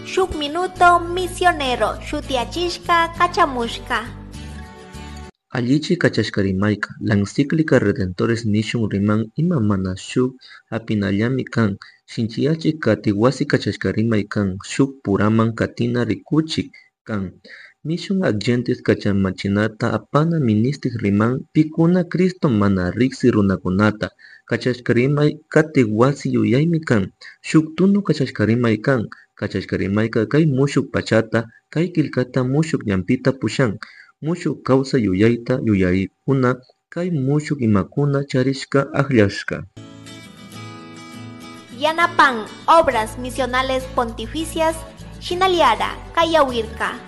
Shuk Minuto Misionero shutiyachishka kachamushka. Allichi kachashka rimayka. La encíclica Redemptoris nishun riman ima mana shuk hapinallami kan, shinchiyachik kati wasi kachashka rimay kan, shuk puraman katina rikuchik kan. Mission ad Gentes kachamachinata apana ministik riman pikuna Cristo mana riksi runakunata. Kachashka rimay katik wasi yuyaymi kan, shuk tunu kachashka rimay kan. Kachashka rimayka kay mushuk pachata, kay killkata mushuk ñanpita pushan. Mushuk kawsay yuyayta yuyarikuna kay mushuk imakuna charishka akllashka. Yanapan Obras Misionales Pontificias, Shinaliara, Kayawirka.